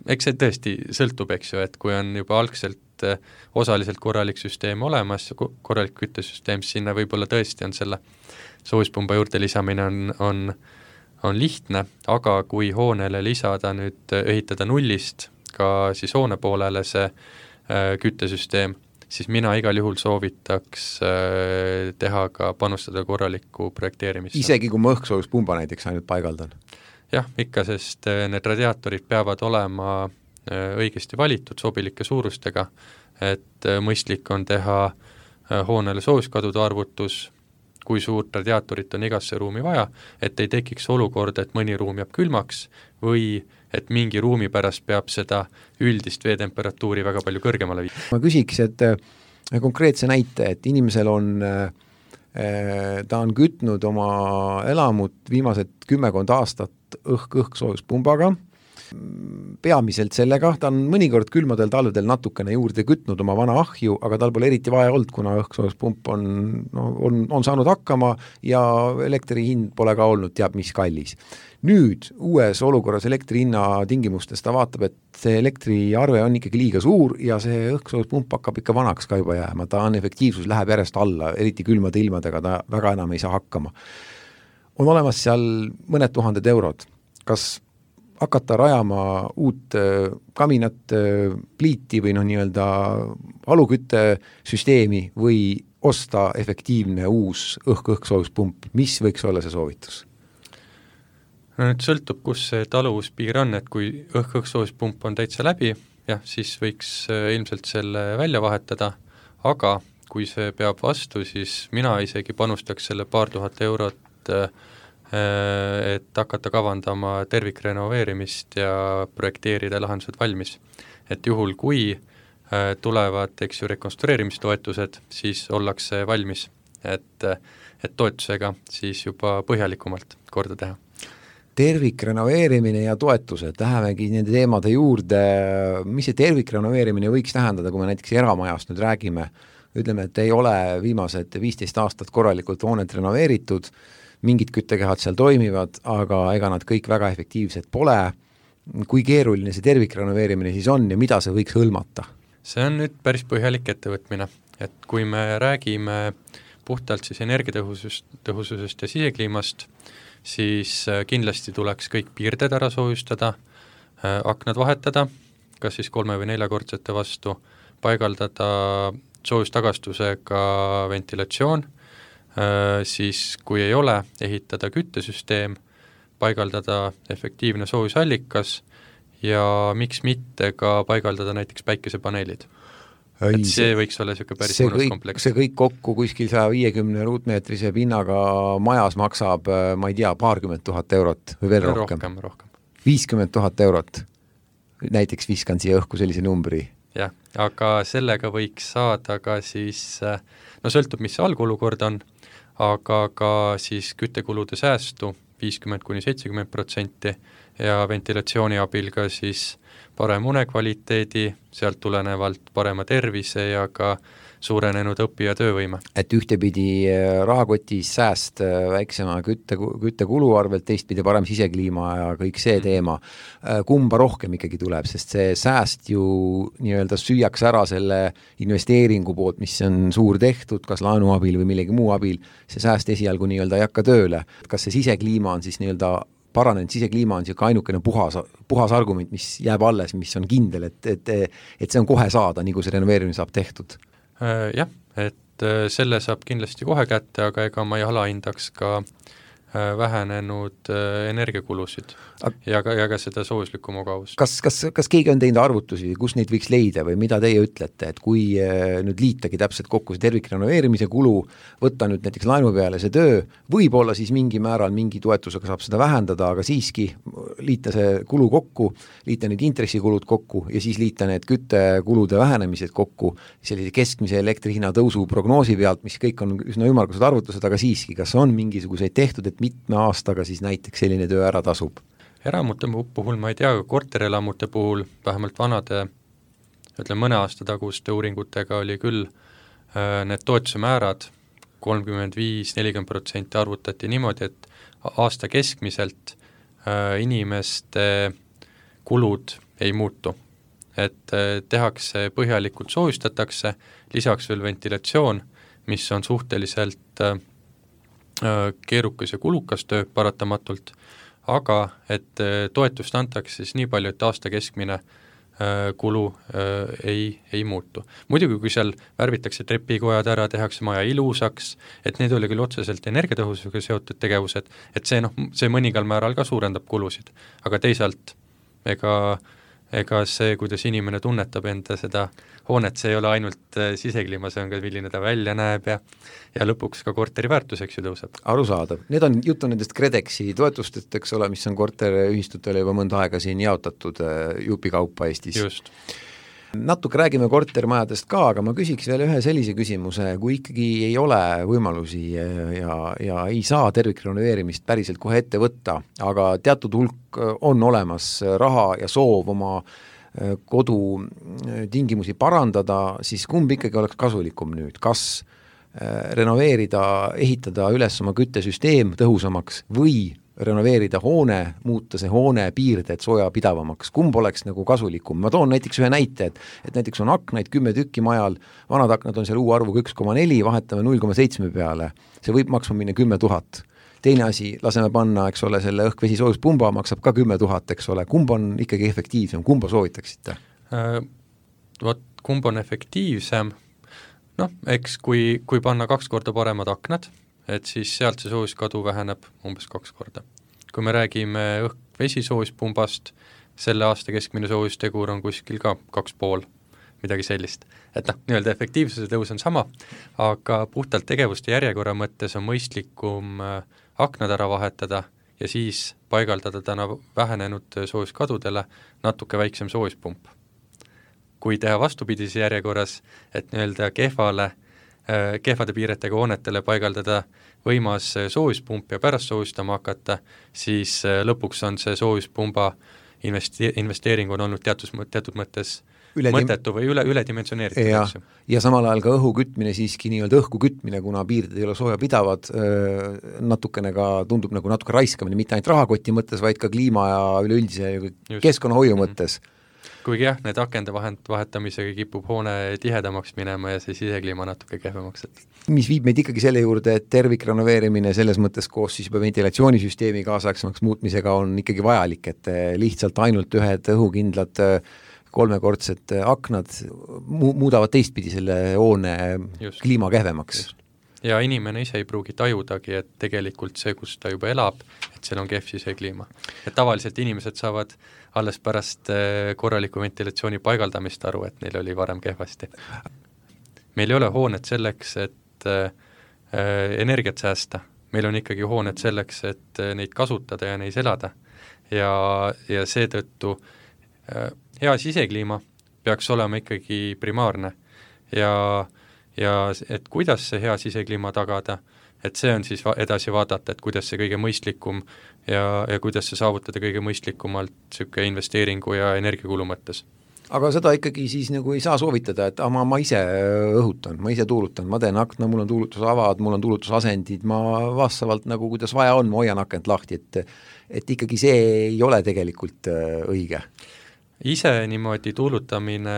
eks see tõesti sõltub, eks ju, et kui on juba algselt osaliselt korralik süsteem olemas, korralik küttesüsteem, siis sinna võib-olla tõesti on selle soojuspumba juurde lisamine on lihtne, aga kui hoonele lisada nüüd, ehitada nullist ka siis hoone poolele see küttesüsteem, siis mina igal juhul soovitaks teha ka panustada korralikku projekteerimist. Isegi kui ma õhksoojuspumba näiteks ainult paigaldan? Jah, ikka, sest need radiaatorid peavad olema õigesti valitud sobilike suurustega, et mõistlik on teha hoonele soojuskadude arvutus, kui suurt radiaatorit on igasse ruumi vaja, et ei tekiks olukord, et mõni ruum jääb külmaks või et mingi ruumi pärast peab seda üldist veetemperatuuri väga palju kõrgemale viia. Ma küsiks, et konkreetse näite, et inimesel on, ta on kütnud oma elamut viimased 10 aastat õhksoojuspumbaga, peamiselt sellega, ta on mõnikord külmadel talvedel natukene juurde kütnud oma vana ahju, aga tal pole eriti vaja olnud, kuna õhksoojuspump on saanud hakkama ja elektri hind pole ka olnud teab mis kallis. Nüüd uues olukorras elektri hinna tingimustes ta vaatab, et see elektriarve on ikkagi liiga suur ja see õhksoojuspump hakkab ikka vanaks ka juba jääma, ta on efektiivsus läheb järjest alla, eriti külmade ilmadega ta väga enam ei saa hakkama. On olemas seal mõned tuhanded eurod. Kas hakata rajama uut kaminat, pliiti või nii-öelda aluküttesüsteemi või osta efektiivne uus õhksoojuspump, mis võiks olla see soovitus? No nüüd sõltub, kus see taluvuspiir on, et kui õhksoojuspump on täitsa läbi, jah, siis võiks ilmselt selle välja vahetada, aga kui see peab vastu, siis mina isegi panustaks selle paar tuhat eurot, et hakata kavandama tervikrenoveerimist ja projekteerida lahendused valmis. Et juhul, kui tulevad, eks ju, rekonstrueerimistoetused, siis ollakse valmis, et toetusega siis juba põhjalikumalt korda teha. Tervikrenoveerimine ja toetused, lähemegi nende teemade juurde, mis see tervikrenoveerimine võiks tähendada, kui me näiteks eramajast nüüd räägime, ütleme, et ei ole viimased 15 aastat korralikult hoonet renoveeritud, mingid küttekehad seal toimivad, aga ega nad kõik väga efektiivsed pole. Kui keeruline see tervikrenoveerimine siis on ja mida see võiks hõlmata? See on nüüd päris põhjalik ettevõtmine, et kui me räägime puhtalt siis energiatõhususest ja sisekliimast, siis kindlasti tuleks kõik piirded ära soojustada, aknad vahetada, kas siis 3- või 4-kordsete vastu, paigaldada soojustagastusega ventilatsioon, siis kui ei ole, ehitada küttesüsteem, paigaldada efektiivne soojusallikas ja miks mitte ka paigaldada näiteks päikesepaneelid. Et see võiks olla selline päris mõnus kompleks. See kõik kokku kuskil 150 ruutmeetrise pinnaga majas maksab, ma ei tea, 20 000 eurot või veel rohkem. 50 000 eurot. Näiteks viskan siia õhku sellise numbri. Jah, aga sellega võiks saada ka siis, no sõltub, mis see algolukord on, aga ka siis küttekulude säästu 50-70% ja ventilatsiooni abil ka siis parem unekvaliteedi, sealt tulenevalt parema tervise ja ka suurenenud õpi- ja töövõime. Et ühtepidi rahakotis sääst väiksema küttekulu arvelt, teistpidi parem sisekliima ja kõik see teema. Kumba rohkem ikkagi tuleb, sest see sääst ju nii-öelda süüaks ära selle investeeringu poolt, mis on suur tehtud, kas laenu abil või millegi muu abil, see sääst esialgu nii-öelda ei hakka tööle. Kas see sisekliima on siis nii-öelda paranenud, sisekliima on siuke ainukene puhas argument, mis jääb alles, mis on kindel, et see on kohe saada, nii kui see renoveerimine saab tehtud? Jah, et selle saab kindlasti kohe kätte, aga ega ma ei alahindaks ka vähenenud energiakulusid ja ka seda soojuslikku mugavust. Kas keegi on teinud arvutusi, kus neid võiks leida või mida teie ütlete, et kui nüüd liitagi täpselt kokku see tervikrenoveerimise kulu, võtta nüüd näiteks laenu peale see töö, võib-olla siis mingi määral mingi toetusega saab seda vähendada, aga siiski liita see kulu kokku, liita need intressikulud kokku ja siis liita need küttekulude vähenemised kokku sellise keskmise elektrihinna tõusu prognoosi pealt, mis kõik on üsna ümmargused arvutused, aga siiski, kas on mingisuguseid tehtud, et mitme aastaga siis näiteks selline töö ära tasub? Eramute puhul ma ei tea, korterelamute puhul vähemalt vanade, mõne aasta taguste uuringutega oli küll need toetuse määrad 35-40% arvutati niimoodi, et aasta keskmiselt inimeste kulud ei muutu. Et tehakse põhjalikult soojustatakse, lisaks veel ventilatsioon, mis on suhteliselt keerukas ja kulukas töö paratamatult, aga et toetust antakse siis nii palju, et aasta keskmine kulu ei muutu. Muidugi, kui seal värvitakse trepikojad ära, tehakse maja ilusaks, et need oli küll otseselt energiatõhususega seotud tegevused, et see mõningal määral ka suurendab kulusid, aga teisalt ega see, kuidas inimene tunnetab enda seda hoonet, see ei ole ainult sisekliima, see on ka, milline ta välja näeb ja lõpuks ka korteri väärtuseks ju tõuseb. Arusaadav. Need on juttu nendest KredExi toetustest, eks ole, mis on korteriühistutele juba mõnda aega siin jaotatud jupikaupa Eestis. Just. Natuke räägime kortermajadest ka, aga ma küsiks veel ühe sellise küsimuse, kui ikkagi ei ole võimalusi ja ei saa tervikrenoveerimist päriselt kohe ette võtta, aga teatud hulk on olemas raha ja soov oma kodu tingimusi parandada, siis kumb ikkagi oleks kasulikum nüüd, kas renoveerida, ehitada üles oma küttesüsteem tõhusamaks või renoveerida hoone, muuta see hoone piirded soojapidavamaks, kumb oleks nagu kasulikum. Ma toon näiteks ühe näite, et näiteks on aknaid 10 tükki majal, vanad aknad on seal uue-arvuga 1,4, vahetame 0,7 peale, see võib maksma minna 10 000. Teine asi, laseme panna, eks ole, selle õhk-vesi soojuspumba maksab ka 10 000, eks ole, kumb on ikkagi efektiivsem, kumba soovitaksite? Kumb on efektiivsem? Eks kui panna 2 korda paremad aknad, et siis sealt see soojuskadu väheneb umbes 2 korda. Kui me räägime õhk-vesi soojuspumbast, selle aasta keskmine soojustegur on kuskil ka 2,5, midagi sellist. Et nii-öelda efektiivsuse tõus on sama, aga puhtalt tegevuste järjekorra mõttes on mõistlikum aknad ära vahetada ja siis paigaldada täna vähenenud soojuskadudele natuke väiksem soojuspump. Kui teha vastupidise järjekorras, et nii-öelda kehvade piiretega hoonetele paigaldada võimas soojuspump ja pärast soojustama hakata, siis lõpuks on see soojuspumba investeering on olnud teatud mõttes mõttetu või üledimensioneeritud. Ja samal ajal ka õhu kütmine siiski nii-öelda õhku kütmine, kuna piirded ei ole sooja pidavad, natukene ka tundub nagu natuke raiskamine, mitte ainult rahakoti mõttes, vaid ka kliima ja üleüldise keskkonnahoiu mõttes. Kuigi jah, need akende vahetamisega kipub hoone tihedamaks minema ja see sisekliima natuke kehvemaks. Mis viib meid ikkagi selle juurde, et tervikrenoveerimine selles mõttes koos siis juba ventilatsioonisüsteemi kaasaegsemaks muutmisega on ikkagi vajalik, et lihtsalt ainult ühed õhukindlad 3-kordsed aknad muudavad teistpidi selle hoone kliima kehvemaks. Ja inimene ise ei pruugi tajudagi, et tegelikult see, kus ta juba elab, et seal on kehv sisekliima. Et tavaliselt inimesed saavad alles pärast korraliku ventilatsiooni paigaldamist aru, et neil oli varem kehvasti. Meil ei ole hooned selleks, et energiat säästa. Meil on ikkagi hooned selleks, et neid kasutada ja neis elada. Ja seetõttu hea sisekliima peaks olema ikkagi primaarne ja et kuidas see hea sisekliima tagada, et see on siis edasi vaadata, et kuidas see kõige mõistlikum ja kuidas see saavutada kõige mõistlikumalt niisugune investeeringu ja energiakulu mõttes. Aga seda ikkagi siis nagu ei saa soovitada, et ma ise õhutan, ma ise tuulutan, ma teen akna, mul on tuulutusavad, mul on tuulutusasendid, ma vastavalt nagu kuidas vaja on, ma hoian akent lahti, et ikkagi see ei ole tegelikult õige. Ise niimoodi tuulutamine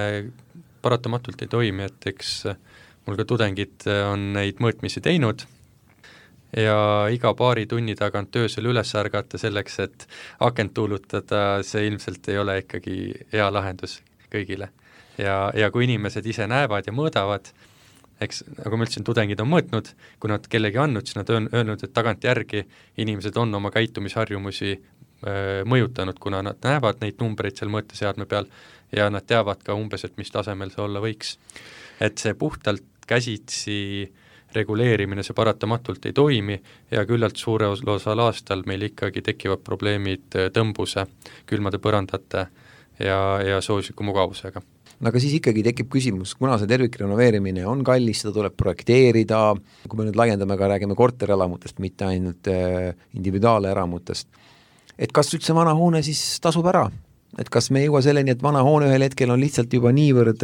paratamatult ei toimi, et eks mul ka tudengid on neid mõõtmisi teinud ja iga paari tunni tagant öösel üles ärgata selleks, et akent tuulutada, see ilmselt ei ole ikkagi hea lahendus kõigile. Ja kui inimesed ise näevad ja mõõdavad, eks nagu ma ütlesin, tudengid on mõõtnud, kui nad kellegi andnud, siis nad on öelnud, et tagant järgi inimesed on oma käitumisharjumusi mõjutanud, kuna nad näevad neid numbreid seal mõõteseadme peal ja nad teavad ka umbes, et mis tasemel see olla võiks. Et see puhtalt käsitsi reguleerimine, see paratamatult ei toimi ja küllalt suure osal aastal meil ikkagi tekivad probleemid tõmbuse, külmade põrandate ja soojusliku mugavusega. No aga siis ikkagi tekib küsimus, kuna see tervikrenoveerimine on kallis, seda tuleb projekteerida, kui me nüüd laiendame ka, räägime korterelamutest, mitte ainult individuaaleramutest, et kas üldse vana hoone siis tasub ära? Et kas me ei jõua selleni, et vana hoone ühel hetkel on lihtsalt juba niivõrd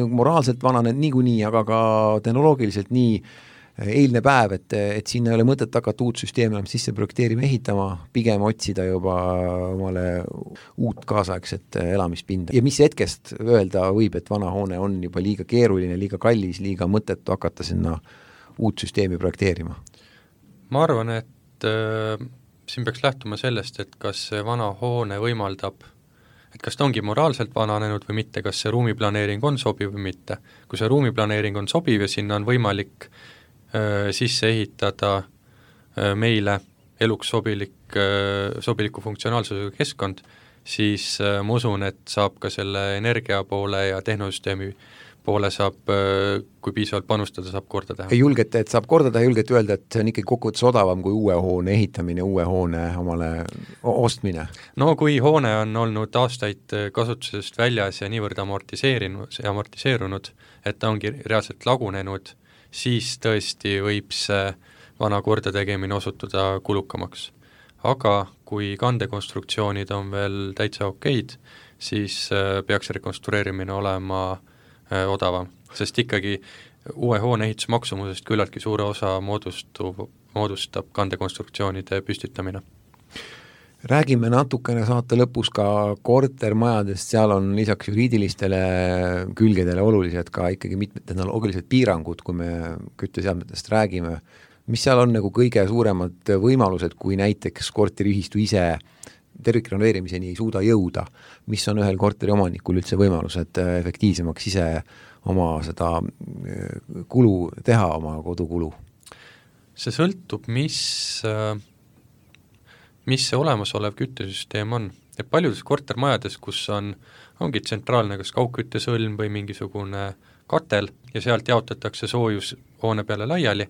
moraalselt vananenud niikuinii, aga ka tehnoloogiliselt nii eilne päev, et siin ei ole mõtet hakata uut süsteemi enam sisse projekteerima, ehitama, pigem otsida juba omale uut kaasaegset elamispinda. Ja mis hetkest öelda võib, et vana hoone on juba liiga keeruline, liiga kallis, liiga mõttetu hakata sinna uut süsteemi projekteerima? Ma arvan, et siin peaks lähtuma sellest, et kas see vana hoone võimaldab, et kas ta ongi moraalselt vananenud või mitte, kas see ruumiplaneering on sobiv või mitte. Kui see ruumiplaneering on sobiv ja sinna on võimalik sisse ehitada meile eluks sobiliku funktsionaalsusega keskkond, siis ma usun, et saab ka selle energia poole ja tehnosüsteemi poole saab, kui piisavalt panustada, saab korda teha. Julgete, et saab korda teha, julgete öelda, et see on ikkagi kokkuvõttes odavam kui uue hoone ehitamine, uue hoone omale ostmine? No kui hoone on olnud aastaid kasutusest väljas ja niivõrd amortiseerunud, et ta ongi reaalselt lagunenud, siis tõesti võib see vana korda tegemine osutuda kulukamaks. Aga kui kandekonstruktsioonid on veel täitsa okeid, siis peaks rekonstrueerimine olema odavam, sest ikkagi uue hoone ehitusmaksumusest küllaltki suure osa moodustab kandekonstruktsioonide püstitamine. Räägime natukene saate lõpus ka kortermajadest, seal on lisaks juriidilistele külgedele olulised ka ikkagi mitmed tehnoloogilised piirangud, kui me kütteseadmetest räägime. Mis seal on nagu kõige suuremad võimalused, kui näiteks korteriühistu ise tervikrenoveerimiseni ei suuda jõuda? Mis on ühel korteri omanikul üldse võimalused efektiivsemaks ise oma seda kulu teha, oma kodukulu? See sõltub, mis see olemasolev küttesüsteem on. Ja paljudes kortermajades, kus ongi tsentraalne kas kaugküttesõlm või mingisugune katel ja sealt jaotatakse soojus hoone peale laiali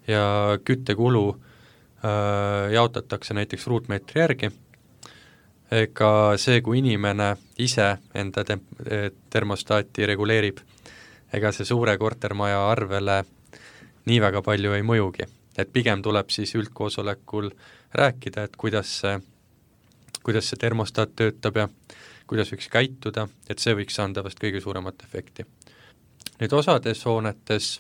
ja küttekulu jaotatakse näiteks ruutmeetri järgi. Ega see, kui inimene ise enda termostaati reguleerib, ega see suure kortermaja arvele nii väga palju ei mõjugi. Et pigem tuleb siis üldkoosolekul rääkida, et kuidas see termostaat töötab ja kuidas võiks käituda, et see võiks anda vast kõige suuremat efekti. Nüüd osades hoonetes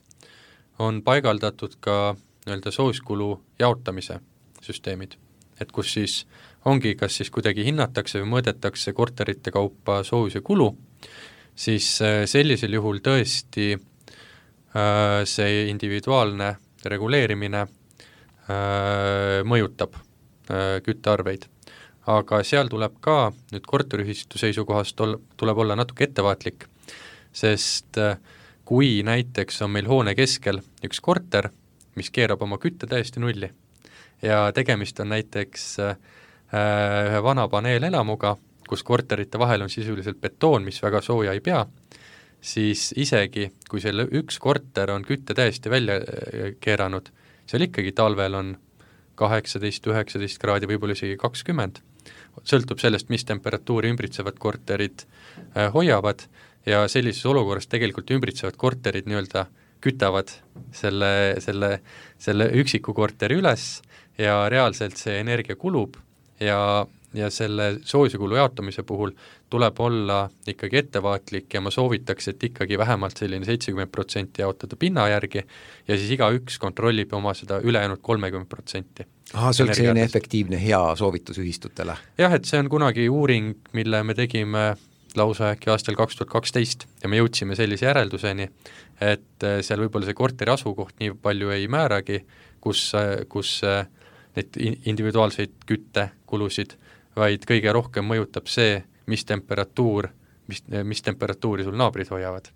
on paigaldatud ka soojuskulu jaotamise süsteemid, et kus siis ongi, kas siis kuidagi hinnatakse või mõõdetakse korterite kaupa soojuse kulu, siis sellisel juhul tõesti see individuaalne reguleerimine mõjutab küttearveid. Aga seal tuleb ka nüüd korteriühistu seisukohast tuleb olla natuke ettevaatlik, sest kui näiteks on meil hoone keskel üks korter, mis keerab oma kütte täiesti nulli ja tegemist on näiteks ühe vana paneelelamuga, kus korterite vahel on sisuliselt betoon, mis väga sooja ei pea, siis isegi, kui selle üks korter on kütte täiesti välja keeranud, seal ikkagi talvel on 18-19 kraadi, võib-olla isegi 20. Sõltub sellest, mis temperatuuri ümbritsevad korterid hoiavad ja sellises olukorras tegelikult ümbritsevad korterid kütavad selle üksiku korteri üles ja reaalselt see energia kulub ja selle soojuskulu jaotamise puhul tuleb olla ikkagi ettevaatlik ja ma soovitaks, et ikkagi vähemalt selline 70% jaotada pinna järgi ja siis igaüks kontrollib oma seda ülejäänud 30%. See oleks selline efektiivne hea soovitus ühistutele. Jah, et see on kunagi uuring, mille me tegime lausa äkki aastal 2012 ja me jõudsime sellise järelduseni, et seal võib-olla see korteri asukoht nii palju ei määragi, kus neid individuaalseid küttekulusid, vaid kõige rohkem mõjutab see, mis temperatuuri sul naabrid hoiavad.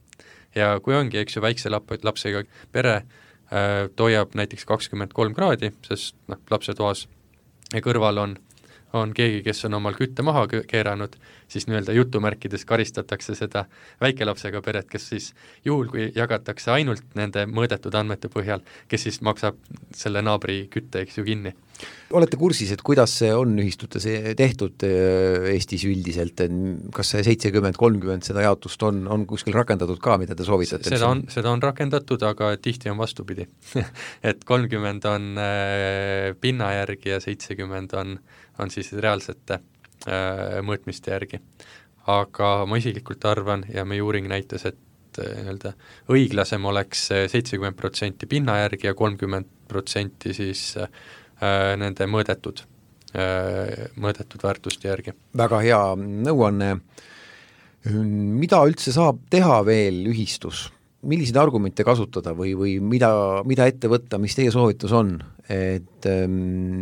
Ja kui ongi, eks ju, väikse lapsega pere hoiab näiteks 23 kraadi, sest lapsetoas ja kõrval on keegi, kes on omal kütte maha keeranud, siis nii-öelda jutumärkides karistatakse seda väikelapsega peret, kes siis juhul, kui jagatakse ainult nende mõõdetud andmete põhjal, kes siis maksab selle naabri kütte, eks ju, kinni. Olete kursis, et kuidas see on ühistutes tehtud Eestis üldiselt, kas see 70-30 seda jaotust on kuskil rakendatud ka, mida te soovitate? Seda on rakendatud, aga tihti on vastupidi. Et 30 on pinna järgi ja 70 on siis reaalsete mõõtmiste järgi. Aga ma isiklikult arvan ja meie uuring näitas, et õiglasem oleks 70% pinna järgi ja 30% siis nende mõõdetud väärtuste järgi. Väga hea nõuanne. Mida üldse saab teha veel ühistus? Milliseid argumente kasutada või mida ette võtta, mis teie soovitus on, et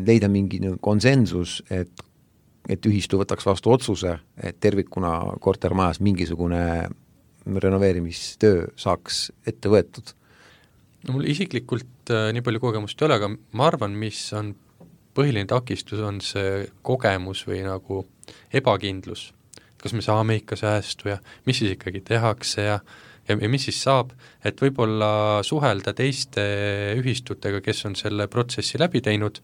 leida mingi konsensus, et ühistu võtaks vastu otsuse, et tervikuna kortermajas mingisugune renoveerimistöö saaks ette võetud? No mul isiklikult nii palju kogemust ei ole, aga ma arvan, mis on põhiline takistus, on see kogemus või nagu ebakindlus. Kas me saame ikka säästu ja mis siis ikkagi tehakse ja mis siis saab, et võib-olla suhelda teiste ühistutega, kes on selle protsessi läbi teinud,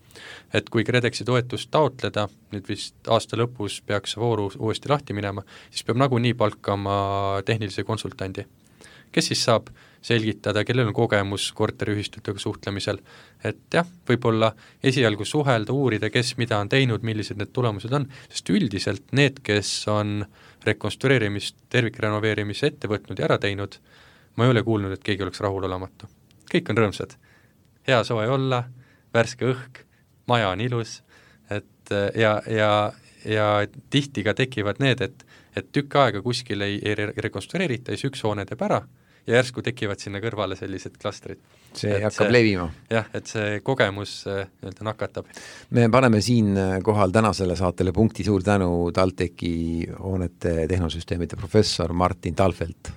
et kui KredExi toetust taotleda, nüüd vist aasta lõpus peaks vooru uuesti lahti minema, siis peab nagunii palkama tehnilise konsultandi, kes siis saab selgitada, kellel on kogemus korteriühistutega suhtlemisel, et jah, võib-olla esialgu suhelda, uurida, kes mida on teinud, millised need tulemused on, sest üldiselt need, kes on rekonstrueerimist, tervikrenoveerimise ette võtnud ja ära teinud, ma ei ole kuulnud, et keegi oleks rahulolematu. Kõik on rõõmsad. Hea soe olla, värske õhk, maja on ilus, et ja tihti ka tekivad need, et tükk aega kuskil ei rekonstrueerita, siis üks hoone teeb ära, ja järsku tekivad sinna kõrvale sellised klastrid. See hakkab levima. Jah, et see kogemus nakatab. Me paneme siin kohal tänasele saatele punkti. Suur tänu TalTechi hoonete tehnosüsteemide professor Martin Talfelt.